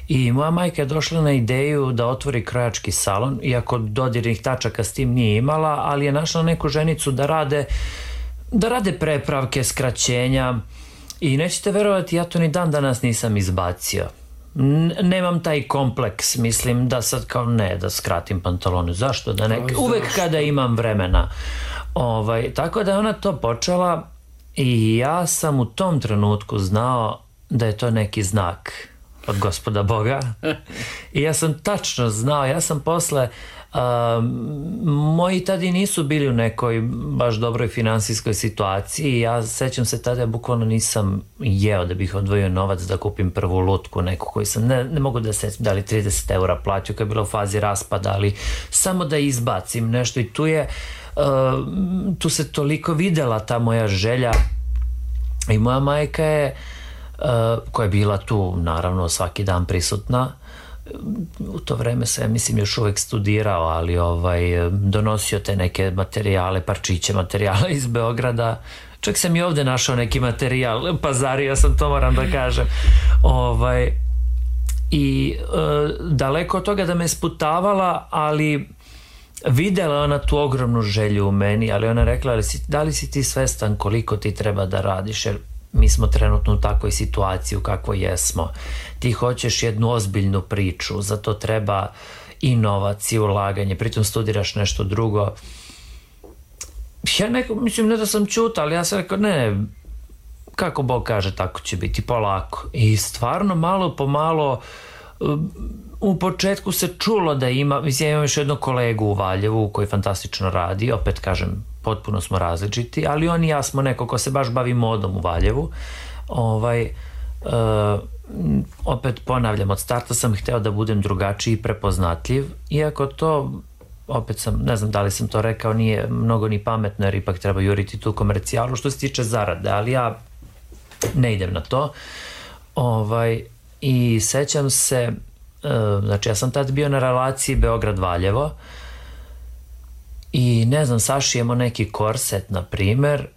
i moja majka je došla na ideju da otvori krojački salon, iako dodirnih tačaka s tim nije imala, ali je našla neku ženicu da rade da rade prepravke, skraćenja, i nećete verovati, ja to ni dan danas nisam izbacio. N- nemam taj kompleks, mislim da sad kao ne, da skratim pantalone, zašto da ne, uvek kada imam vremena. Ovaj, tako da je ona to počela, i ja sam u tom trenutku znao da je to neki znak od Gospoda Boga, i ja sam tačno znao, ja sam posle uh, moji tada nisu bili u nekoj baš dobroj finansijskoj situaciji, ja sećam se tada, ja bukvalno nisam jeo da bih odvojio novac da kupim prvu lutku neku koju sam, ne, ne mogu da se da li trideset eura platio koja je bila u fazi raspada, ali samo da izbacim nešto, i tu je Uh, tu se toliko videla ta moja želja I moja majka je, koja je bila tu naravno svaki dan prisutna, u to vreme sam, ja mislim, još uvek studirao, ali ovaj, donosio te neke materijale, parčiće materijala iz Beograda. Čak sam i ovde našao neki materijal, pazario sam, to moram da kažem. Ovaj, I e, daleko od toga da me sputavala, ali videla ona tu ogromnu želju u meni, ali ona rekla, ali si, da li si ti svestan koliko ti treba da radiš, jer mi smo trenutno u takvoj situaciji u kakvoj jesmo. Ti hoćeš jednu ozbiljnu priču, zato treba i novac i ulaganje, pritom studiraš nešto drugo. Ja neko, mislim, ne da sam čuta, ali ja sam rekao, ne, kako Bog kaže, tako će biti, polako. I stvarno, malo po malo, u početku se čulo da ima, mislim, ja imam još jednog kolegu u Valjevu koji fantastično radi, opet kažem, potpuno smo različiti, ali on i ja smo neko ko se baš bavi modom u Valjevu. Ovaj, uh, opet ponavljam, od starta sam hteo da budem drugačiji i prepoznatljiv, iako to, opet sam, ne znam da li sam to rekao, nije mnogo ni pametno, jer ipak treba juriti tu komercijalu što se tiče zarade, ali ja ne idem na to. Ovaj, i sećam se, uh, znači ja sam tad bio na relaciji Beograd-Valjevo i ne znam, sašijemo neki korset, na primer,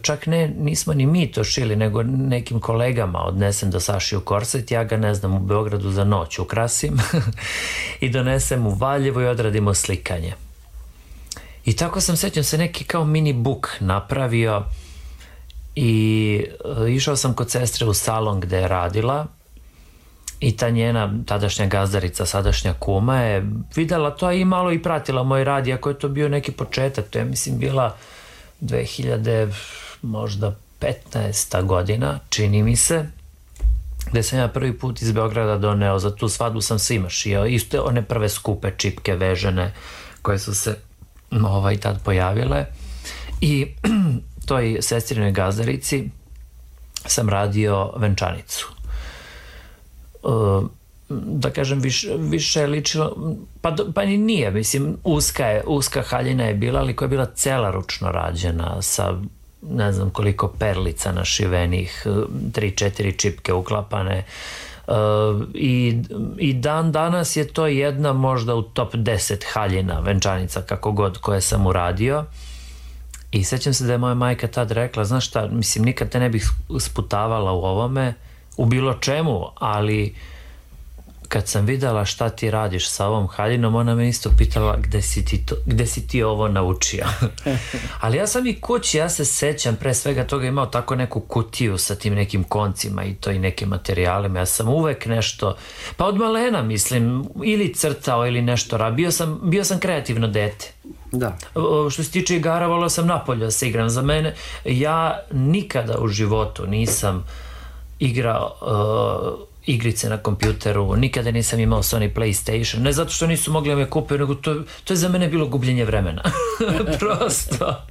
čak ne, nismo ni mi to šili, nego nekim kolegama odnesem da sašiju korset, ja ga, ne znam, u Beogradu za noć ukrasim i donesem u Valjevo i odradimo slikanje. I tako sam, sećam se, neki kao mini book napravio i išao sam kod sestre u salon gde je radila i ta njena tadašnja gazdarica, sadašnja kuma je videla to i malo i pratila moj rad, iako je to bio neki početak, to je, mislim, bila dve hiljade možda petnaesta godina, čini mi se, gde sam ja prvi put iz Beograda doneo, za tu svadbu sam svima šio, isto one prve skupe čipke vežene koje su se ovaj, tad pojavile, i toj sestrinoj gazdarici sam radio venčanicu. Uh, da kažem, više, više je ličilo, pa, pa ni nije, mislim, uska, je, uska haljina je bila, ali koja je bila cela ručno rađena, sa ne znam koliko perlica našivenih, tri, četiri čipke uklapane, uh, i, i dan danas je to jedna možda u top deset haljina venčanica, kako god, koje sam uradio. I sećam se da je moja majka tad rekla, znaš šta, mislim, nikad te ne bih sputavala u ovome, u bilo čemu, ali kad sam videla šta ti radiš sa ovom haljinom, ona me isto pitala gde si ti, to, gde si ti ovo naučio. Ali ja sam i kući, ja se sećam pre svega toga, imao tako neku kutiju sa tim nekim koncima i to i nekim materijalima. Ja sam uvek nešto, pa od malena, mislim, ili crtao ili nešto radio. Bio sam, bio sam kreativno dete. Da. Što se tiče igara, volao sam napolje da se igram. Za mene, ja nikada u životu nisam igrao uh, igrice na kompjuteru, nikada nisam imao Sony PlayStation, ne zato što nisu mogli da me kupe, nego to, to je za mene bilo gubljenje vremena. Prosto.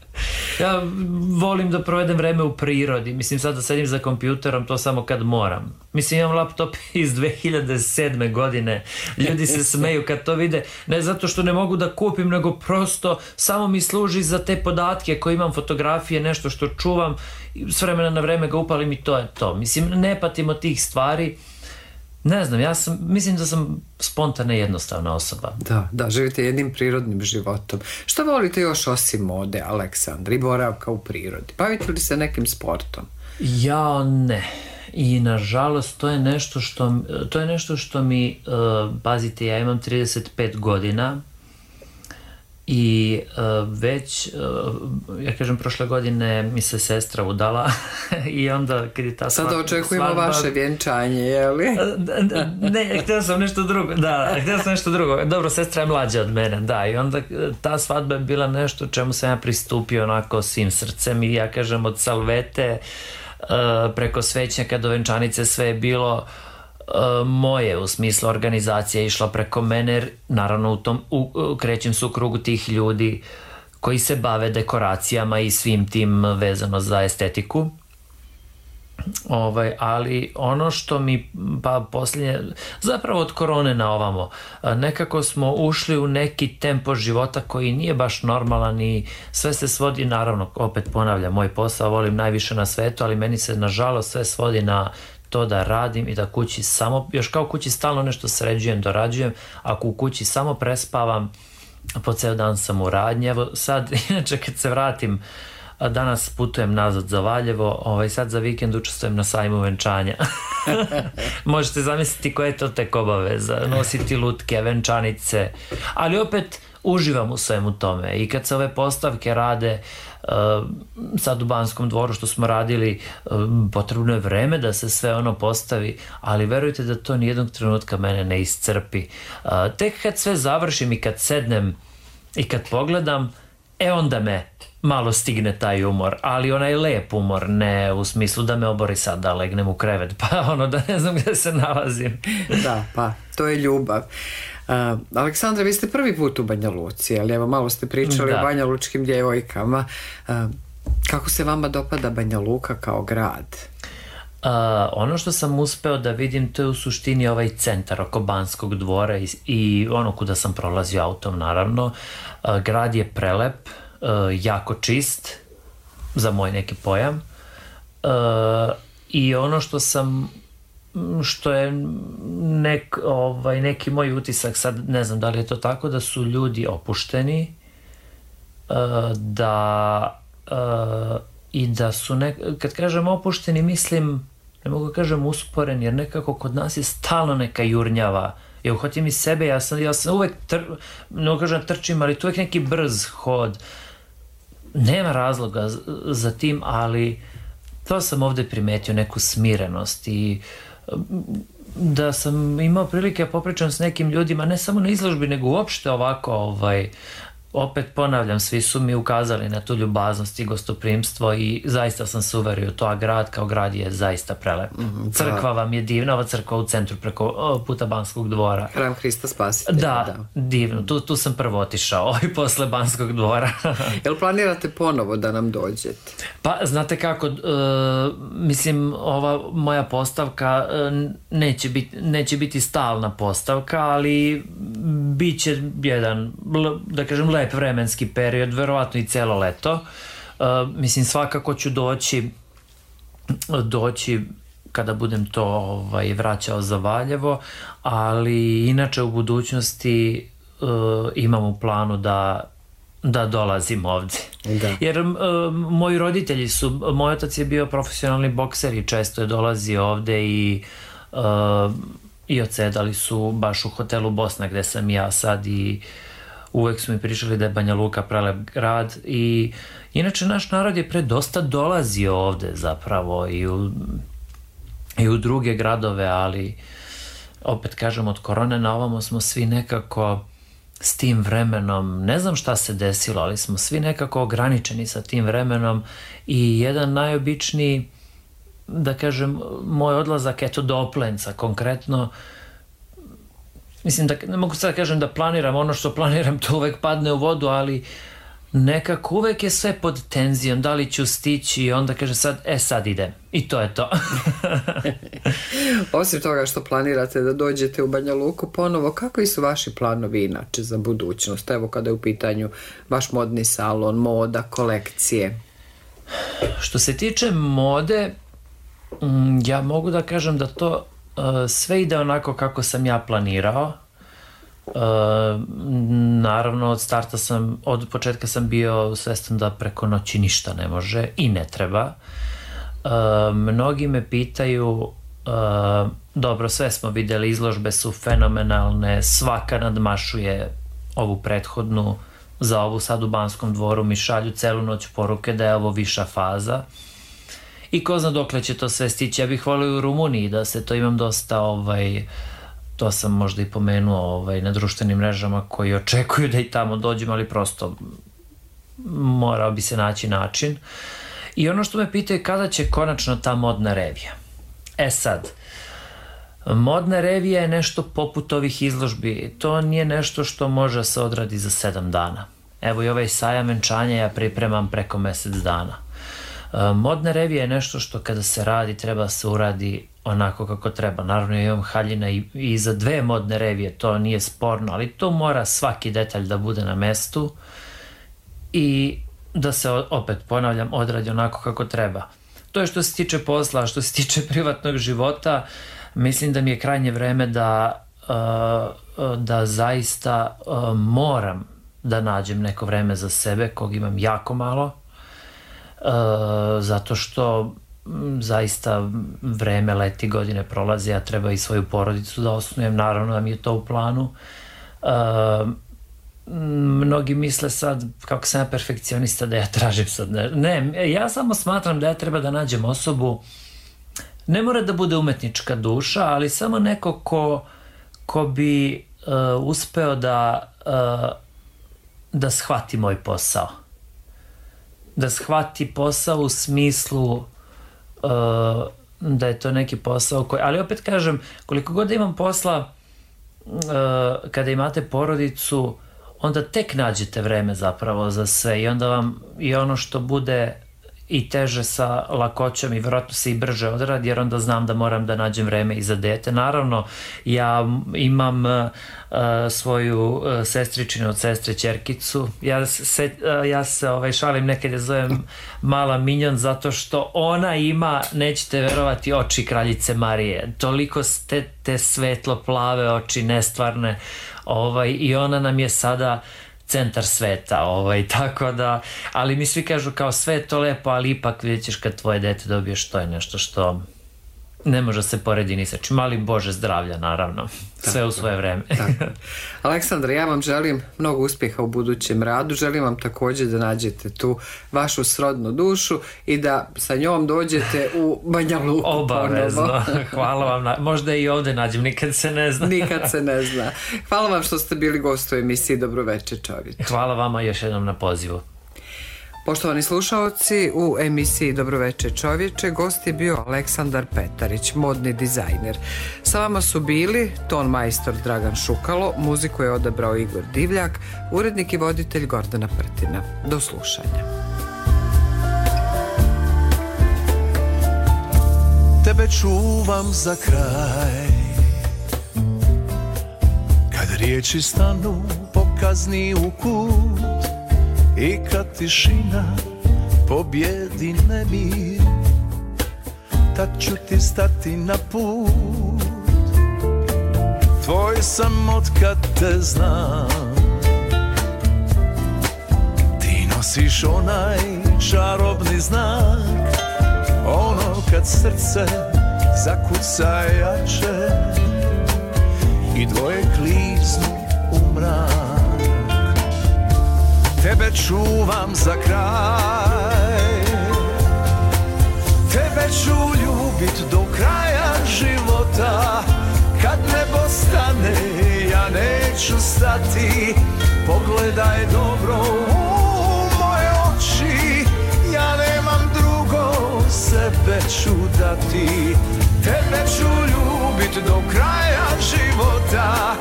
Ja volim da provedem vreme u prirodi, mislim, sad da sedim za kompjuterom, to samo kad moram. Mislim, imam laptop iz dve hiljade sedme godine, ljudi se smeju kad to vide, ne zato što ne mogu da kupim, nego prosto samo mi služi za te podatke koje imam, fotografije, nešto što čuvam, s vremena na vreme ga upalim i to je to. Mislim, ne patim od tih stvari. Ne znam, ja sam, mislim da sam spontana i jednostavna osoba. Da, da, živite jednim prirodnim životom. Šta volite još osim mode, Aleksandar, i boravka u prirodi? Bavite li se nekim sportom? Ja ne. I nažalost to je nešto što, to je nešto što mi, uh, pazite, ja imam trideset pet godina i uh, već, uh, ja kažem, prošle godine mi se sestra udala i onda kad je ta svadba... Sada očekujemo svadba, vaše vjenčanje, je li? Ne, htio sam nešto drugo, da, htio sam nešto drugo. Dobro, sestra je mlađa od mene, da, i onda ta svadba je bila nešto čemu sam ja pristupio onako svim srcem i ja kažem od salvete uh, preko svećnjaka do venčanice sve je bilo moje, u smislu organizacija je išla preko mene, naravno u tom u, u, krećem se u krugu tih ljudi koji se bave dekoracijama i svim tim vezano za estetiku. Ovaj, ali ono što mi pa posljednje, zapravo od korone na ovamo, nekako smo ušli u neki tempo života koji nije baš normalan i sve se svodi, naravno, opet ponavljam, moj posao volim najviše na svetu, ali meni se nažalost sve svodi na to da radim i da kući samo, još kao kući stalno nešto sređujem, dorađujem, ako u kući samo prespavam, po ceo dan sam u radnji. Evo sad, inače kad se vratim, danas putujem nazad za Valjevo, ovaj, sad za vikend učestvujem na sajmu venčanja. Možete zamisliti koje je to tek obaveza, nositi lutke, venčanice, ali opet uživam u svemu tome i kad se ove postavke rade, uh, sad u Banskom dvoru što smo radili, uh, potrebno je vreme da se sve ono postavi, ali verujte da to nijednog trenutka mene ne iscrpi. Uh, tek kad sve završim i kad sednem i kad pogledam, e onda me malo stigne taj umor, ali onaj lep umor, ne u smislu da me obori sad da legnem u krevet, pa ono da ne znam gde se nalazim. Da, pa to je ljubav. Uh, Aleksandra, vi ste prvi put u Banja Luci, ali evo malo ste pričali da. o banjalučkim djevojkama. Uh, kako se vama dopada Banja Luka kao grad? Uh, ono što sam uspeo da vidim, to je u suštini ovaj centar oko Banskog dvora i, i ono kuda sam prolazio autom, naravno. Uh, grad je prelep, uh, jako čist za moj neki pojam, uh, i ono što sam što je nek, ovaj, neki moj utisak, sad ne znam da li je to tako, da su ljudi opušteni, uh, da uh, i da su, ne, kad kažem opušteni, mislim, ne mogu kažem usporeni, jer nekako kod nas je stalno neka jurnjava. Ja uhotim iz sebe, ja sam, ja sam uvek, tr, ne mogu kažem trčim, ali tu uvek neki brz hod. Nema razloga za tim, ali to sam ovde primetio, neku smirenost i da sam imao prilike popričam s nekim ljudima, ne samo na izložbi, nego uopšte ovako, ovaj, opet ponavljam, svi su mi ukazali na tu ljubaznost i gostoprimstvo i zaista sam se uverio to, a grad kao grad je zaista prelep. Mm, crkva vam je divna, ova crkva u centru preko puta Banskog dvora. Hram Hrista Spasitelja. Da, da, divno, tu, tu sam prvo otišao i posle Banskog dvora. Jel planirate ponovo da nam dođete? Pa, znate kako, uh, mislim, ova moja postavka uh, neće, bit, neće biti stalna postavka, ali bit će jedan, da kažem, lep vremenski period, verovatno i celo leto. Uh, mislim, svakako ću doći doći kada budem to ovaj, vraćao za Valjevo, ali inače u budućnosti uh, imam u planu da da dolazim ovde. Da. Jer uh, moji roditelji su, moj otac je bio profesionalni bokser i često je dolazio ovde i uh, i odsedali su baš u hotelu Bosna gde sam ja sad i uvek su mi pričali da je Banja Luka prelep grad i inače naš narod je pre dosta dolazio ovde zapravo i u, i u druge gradove, ali opet kažem, od korone na ovamo smo svi nekako s tim vremenom, ne znam šta se desilo, ali smo svi nekako ograničeni sa tim vremenom i jedan najobičniji, da kažem, moj odlazak, eto, do Oplenca konkretno, mislim da ne mogu sad da kažem da planiram, ono što planiram to uvek padne u vodu, ali nekako uvek je sve pod tenzijom, da li ću stići i onda kaže sad, e sad idem i to je to. Osim toga što planirate da dođete u Banja Luku ponovo, kakvi su vaši planovi inače za budućnost? Evo kada je u pitanju vaš modni salon, moda, kolekcije. Što se tiče mode, ja mogu da kažem da to uh, sve ide onako kako sam ja planirao. Uh, naravno od starta sam, od početka sam bio svestan da preko noći ništa ne može i ne treba. Uh, mnogi me pitaju, uh, dobro, sve smo videli, izložbe su fenomenalne, svaka nadmašuje ovu prethodnu, za ovu sad u Banskom dvoru mi šalju celu noć poruke da je ovo viša faza i ko zna dokle će to sve stići. Ja bih volio u Rumuniji da se to, imam dosta ovaj, to sam možda i pomenuo ovaj, na društvenim mrežama koji očekuju da i tamo dođem, ali prosto morao bi se naći način. I ono što me pitaju kada će konačno ta modna revija. E sad, modna revija je nešto poput ovih izložbi, to nije nešto što može se odradi za sedam dana. Evo i ovaj sajam venčanja ja pripremam preko mesec dana. Modne revije je nešto što kada se radi treba se uradi onako kako treba. Naravno ja imam haljina i, i za dve modne revije, to nije sporno, ali to mora svaki detalj da bude na mestu i da se, opet ponavljam, odradi onako kako treba. To je što se tiče posla, što se tiče privatnog života, mislim da mi je krajnje vreme da, da zaista moram da nađem neko vreme za sebe, kog imam jako malo, zato što zaista vreme leti, godine prolaze, ja treba i svoju porodicu da osnujem, naravno da mi je to u planu. Mnogi misle sad kako sam ja perfekcionista da ja tražim sad ne, ne, ja samo smatram da ja treba da nađem osobu, ne mora da bude umetnička duša, ali samo neko ko, ko bi uh, uspeo da uh, da shvati moj posao, da shvati posao u smislu uh, da je to neki posao koji, ali opet kažem, koliko god da imam posla, uh, kada imate porodicu, onda tek nađete vreme zapravo za sve i onda vam i ono što bude i teže sa lakoćom i vjerojatno se i brže odradi, jer onda znam da moram da nađem vreme i za dete. Naravno, ja imam uh, svoju uh, sestričinu od sestre ćerkicu. Ja se, uh, ja se ovaj, šalim, nekad je zovem mala minjon, zato što ona ima, nećete verovati, oči kraljice Marije. Toliko te, te svetlo plave oči, nestvarne, ovaj, i ona nam je sada centar sveta, ovaj, tako da, ali mi svi kažu kao sve je to lepo, ali ipak vidjet ćeš kad tvoje dete dobiješ, to je nešto što ne može se poredi ni sa čim, ali Bože zdravlja, naravno, sve tako, u svoje vreme. Aleksandra, ja vam želim mnogo uspjeha u budućem radu, želim vam također da nađete tu vašu srodnu dušu i da sa njom dođete u Banja Luku. Obavezno, hvala vam, na, možda i ovdje nađem, nikad se ne zna. Nikad se ne zna. Hvala vam što ste bili gost u emisiji Dobroveče čovječe. Hvala vama još jednom na pozivu. Poštovani slušaoci, u emisiji Dobroveče čovječe gost je bio Aleksandar Petarić, modni dizajner. Sa vama su bili ton majstor Dragan Šukalo, muziku je odabrao Igor Divljak, urednik i voditelj Gordana Prtina. Do slušanja. Tebe čuvam za kraj, kad riječi stanu pokazni u kut i kad tišina pobjedi nemir, tad ću ti stati na put. Tvoj sam otkad te znam, ti nosiš onaj čarobni znak, ono kad srce zakuca jače i dvoje kliznu u mrak. Tebe čuvam za kraj, tebe ću ljubit do kraja života. Kad nebo stane, ja neću stati. Pogledaj dobro u moje oči, ja nemam drugo, sebe ću dati. Tebe ću ljubit do kraja života.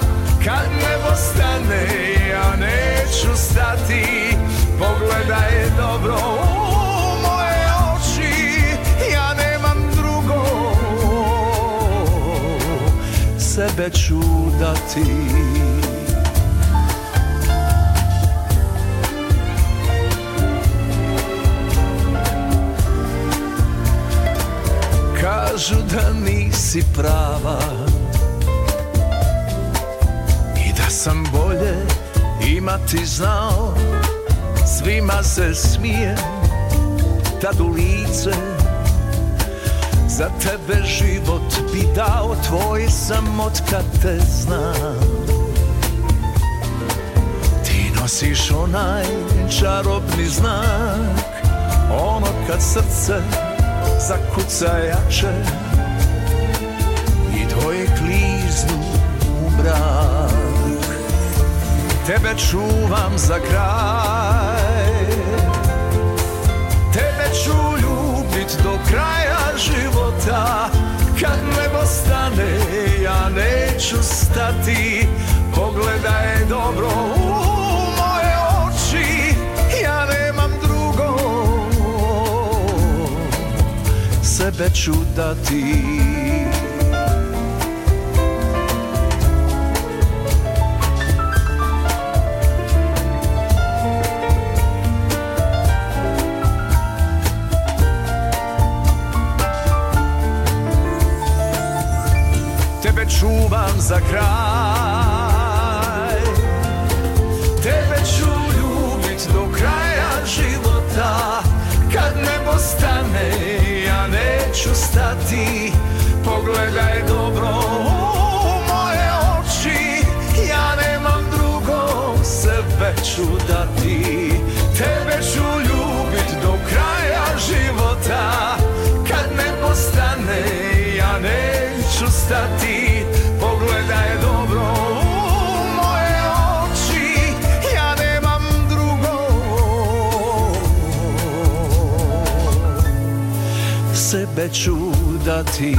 Kad nebo stane, ja neću stati. Pogledaj dobro u moje oči, ja nemam drugo, sebe ću dati. Kažu da nisi prava i da sam bolje imati znao. Svima se smijem tad u lice, za tebe život bi dao, tvoj sam otkad te znam. Ti nosiš onaj čarobni znak, ono kad srce zakuca jače i dvoje kliznu u brak. Tebe čuvam za kraj, tebe ću ljubit do kraja života. Kad nebo stane, ja neću stati. Pogledaj dobro u moje oči, ja nemam drugo, sebe ću dati. Tebe čuvam za kraj, tebe ću ljubit do kraja života. Kad nebo stane, ja neću stati. Pogledaj dobro u moje oči, ja nemam drugo, sebe ću dati. Tebe ću ljubit do kraja života. Kad nebo stane, ja neću stati. Pogledaj dobro u moje oči, ja nemam drugo, sebe ću dati.